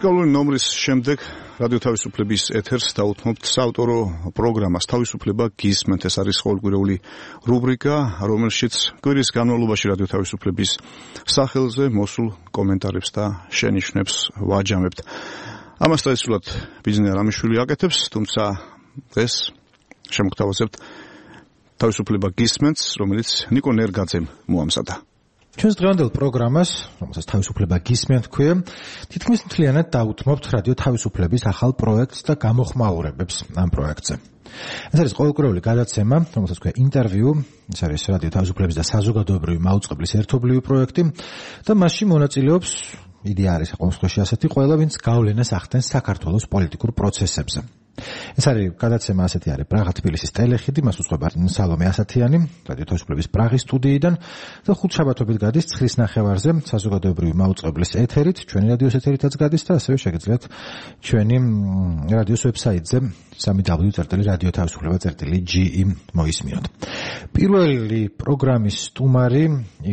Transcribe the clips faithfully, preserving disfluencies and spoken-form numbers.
მუსიკალური ნომრის შემდეგ რადიო თავისუფლების ეთერს დაუთმობთ საავტორო პროგრამას თავისუფლება გისმენთ. ეს არის ყოველკვირეული რუბრიკა, რომელშიც კვირის განმავლობაში რადიო თავისუფლების სახელზე მოსულ კომენტარებს და შენიშვნებს ვაჯამებთ. ამას tradicionally ბიზნეს რამიშვილი აკეთებს, თუმცა დღეს შემოგთავაზებთ თავისუფლება გისმენთ, რომელიც ნიკო ნერგაძემ მოამზადა. ჩვენს დღევანდელ პროგრამას, რომელსაც თავისუფლება გისმენთ ქვია, თითქმის მთლიანად დაუთმობთ რადიო თავისუფლების ახალ პროექტს და გამოხმაურებებს ამ პროექტზე. ეს არის ყოველკვირეული გადაცემა, რომელსაც ქვია ინტერვიუ, ეს არის რადიო თავისუფლების და საზოგადოებრივი მაუწყებლის ერთობლივი პროექტი და მასში მონაწილეობს, იდეა არის ყოველ შემთხვევაში ასეთი, ყველა ვინც გავლენას ახდენს საქართველოს პოლიტიკურ პროცესებზე. ეს არის გადაცემა ასეთი არის პრაღა თბილისის ტელეხიდი, მას უძღვება სალომე ასათიანი, რადიო თავისუფლების პრაღის სტუდიიდან და ხუთშაბათობით გადის ცხრის ნახევარზე საზოგადოებრივი მაუწყებლის ეთერით, ჩვენი რადიოს ეთერითაც გადის და ასევე შეგიძლიათ ჩვენი რადიოს ვებსაიტზე სამი დაბლიუ წერტილი რადიო თავისუფლება წერტილი ჯი ი მოისმინოთ. პირველი პროგრამის სტუმარი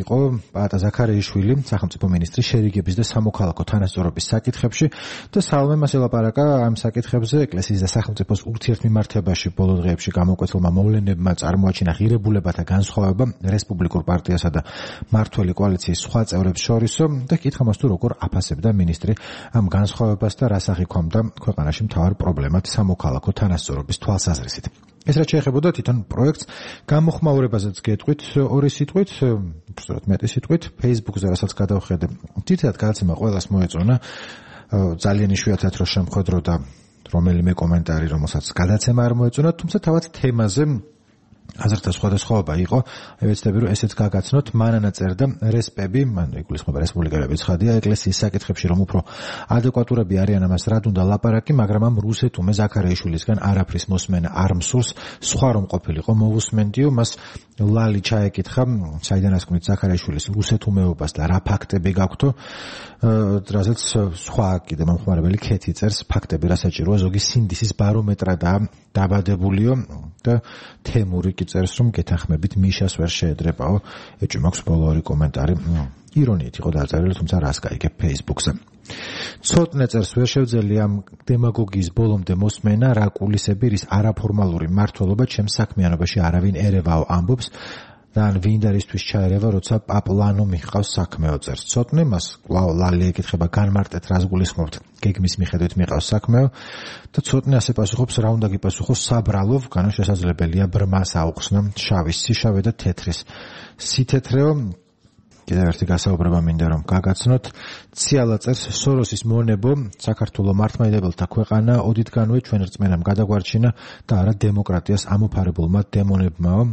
იყო პაატა ზაქარიაშვილი, სახელმწიფო მინისტრი შერიგების და სამოქალაქო თანასწორობის საკითხებში და სალომე მას ელაპარაკა ამ საკითხებზე ეკლესიის და სახელმწიფოს ურთიერთმიმართებაში ბოლო დღეებში გამოკვეთილმა მოვლენებმა წარმოაჩინა ღირებულებათა განსხვავება რესპუბლიკურ პარტიასა და მმართველი კოალიციის სხვა წევრებს შორისო და კითხა მას თუ როგორ აფასებდა მინისტრი ამ განსხვავებას და რას აღიქვამდა ქვეყანაში მთავარ პრობლემად სამოქალაქო თანასწორობის თვალსაზრისით. ეს რაც შეეხებოდა თვითონ პროექტს, გამოხმაურებაზეც გეტყვით ორი სიტყვით, უბრალოდ მეტი სიტყვით, Facebook-ზე რასაც გადავხედე. თითქოს გადაცემა ყველას მოეწონა, ძალიან იშვიათად რო შემხედრო და რომელიმე კომენტარი, რომელსაც გადაცემა არ მოეწონა, თუმცა თავად თემაზე აზრთა სხვადასხვაობა იყო. ვეცდები რომ ესეც გაგაცნოთ, მანანა წერდა რესპები, მან იგულისხმება რესპუბლიკელების ცხადია, ეკლესიის საკითხებში რომ უფრო ადეკვატურები არიან ამას რად უნდა ლაპარაკი, მაგრამ ამ რუსეთუმე ზაქარიაშვილისგან არაფრის მოსმენა არ მსურს, სხვა რომ ყოფილიყო მოვუსმენდიო, მას ლალი ჩაეკითხა, საიდან ასკვნით ზაქარიაშვილის რუსეთუმეობას და რა ფაქტები გაქვთო, რასაც სხვა კიდე მომხმარებელი ქეთი წერს, ფაქტები რა საჭიროა, ზოგი სინდისის ბარომეტრადაა დაბადებულიო და თემური კი წერს რომ გეთანხმებით მიშას ვერ შეედრებაო. ეჭვი მაქვს ბოლო ორი კომენტარი. ირონიით იყო დაწერილი, თუმცა რას გაიგებ Facebook-ზე. ცოტნე წერს ვერ შევძელი ამ დემაგოგიის ბოლომდე მოსმენა, რა კულისები, რის არაფორმალური მართლობა ჩემს საქმიანობაში არავინ ერევაო ამბობს და ან ვინ და რისთვის ჩაერევა, როცა პაპლანო მიჰყავს საქმეო წერს. ცოტნე მას კვლავ ლალი ეკითხება, განმარტეთ რას გულისხმობთ, გეგმის მიხედვით მიჰყავს საქმეო და ცოტნე ასე პასუხობს, რა უნდა გიპასუხოს საბრალով, განა შესაძლებელია ბრმას აუხსნა შავის სიშავე და თეთრის სითეთრეო. კიდევ ერთი გასაუბრება მინდა რომ გაგაცნოთ. ციალა წერს, სოროსის მონებო, საქართველოს მართლმადიდებელთა ქვეყანა, ოდითგანვე ჩვენ რწმენამ გადაგვარჩინა და არა დემოკრატიას ამოფარებულმა დემონებმაო.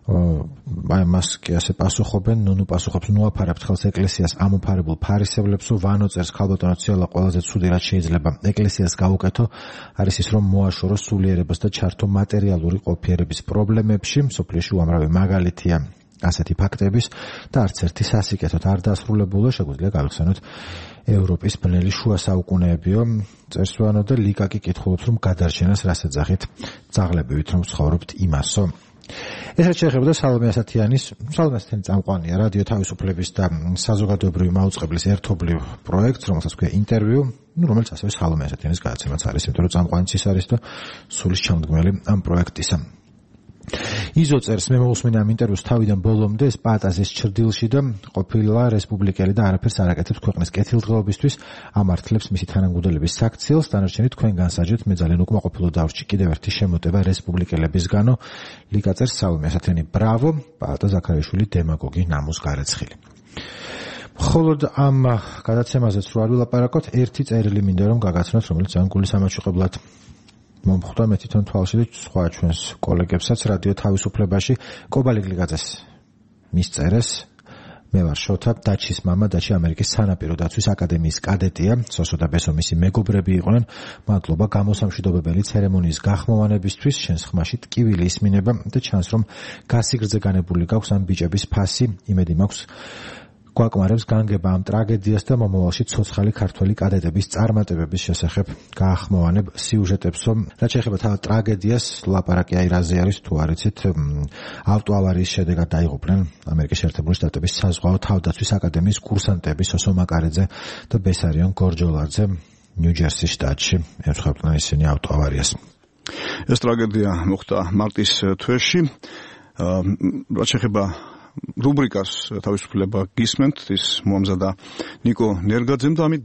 აი მას კი ასე პასუხობენ, ნუნუ პასუხობს, ნუაფარებთ ხელს ეკლესიას ამოფარებულ ფარისევლებსო. ვანო წერს, ქალბატონო ციალა, ყველაზე ცუდი რაც შეიძლება ეკლესიას გაუკეთო არის ის რომ მოაშოროს სულიერებას და ჩართო მატერიალური ყოფიერების პრობლემებში. მსოფლიოში უამრავი მაგალითია ასეთი ფაქტების და არც ერთი სასიკეთოდ არ დასრულებულა, შეგვიძლია გავიხსენოთ ევროპის ბნელი შუა საუკუნეებიო. წერს ვანო და ლიკაკი კითხულობს რომ გადარჩენას რას ეძახით, ძაღლებივით რომ ცხოვრობთ იმასო. ეს რაც შეეხებოდა სალომე ასათიანის, სალომე ასათიანი წამყვანია რადიო თავისუფლების და საზოგადოებრივი მაუწყებლის ერთობლივ პროექტს, რომელსაც ქვია ინტერვიუ, ну, რომელიც ასევე სალომე ასათიანის გადაცემაც არის, იმიტომ რომ წამყვანიც ის არის და სულის ჩამდგმელი ამ პროექტისა. იზო წერს, მე მოვუსმინე ამ ინტერვიუს თავიდან ბოლომდე, ეს პაატაზის ჩრდილში და ყოფილა რესპუბლიკელი და არაფერს არ აკეთებს ქვეყნის კეთილდღეობისთვის, ამართლებს მისი თანამგუდელების საქციელს, დანარჩენი თქვენ განსაჯეთ, მე ძალიან უკმაყოფილო დავრჩი კიდევ ერთი შემოტება რესპუბლიკელებისგანო. ლიკა წერს, სალომე ასათიანი, ბრავო, პაატა ზაქარიაშვილი დემაგოგი ნამუს გარეცხილი. მხოლოდ ამ გადაცემაზეც რო არ ვილაპარაკოთ, ერთი წერილი მინდა რომ გაგაცნოთ, რომელიც ძალიან გულისამაჩუყებლად მომხვდა მე თვითონ თვალში და სხვა ჩვენს კოლეგებსაც რადიო თავისუფლებაში. კობალი გლიგაძეს მისწერეს, მე ვარ შოთა, დაჩის მამა, დაჩი ამერიკის სანაპირო დაცვის აკადემიის კადეტია, სოსო და ბესო მისი მეგობრები იყვნენ. მადლობა გამოსამშვიდობებელი ცერემონიის გახმოვანებისთვის, შენს ხმაში ტკივილი ისმინება და ჩანს რომ გასიგრძე განებული გაქვს ამ ბიჭების ფასი. იმედი მაქვს გვაკმარებს განგება ამ ტრაგედიას და მომავალში ცოცხალი ქართველი კადეტების წარმატებების შესახებ გაახმოვანებ სიუჟეტებსო. რაც შეეხება თავად ტრაგედიას, ლაპარაკი აი რაზე არის თუ არ იცით, ავტოავარიის შედეგად დაიღუპნენ ამერიკის შეერთებული შტატების საზღვაო თავდაცვის აკადემიის კურსანტები სოსო მაკარეძე და ბესარიონ გორჯოლაძე ნიუ-ჯერსის შტატში. ემსხვერპლნენ ისინი ავტოავარიას. ეს ტრაგედია მოხდა მარტის თვეში. რაც შეეხება რუბრიკას თავისუფლება გისმენთ, ის მოამზადა ნიკო ნერგაძემ და ამით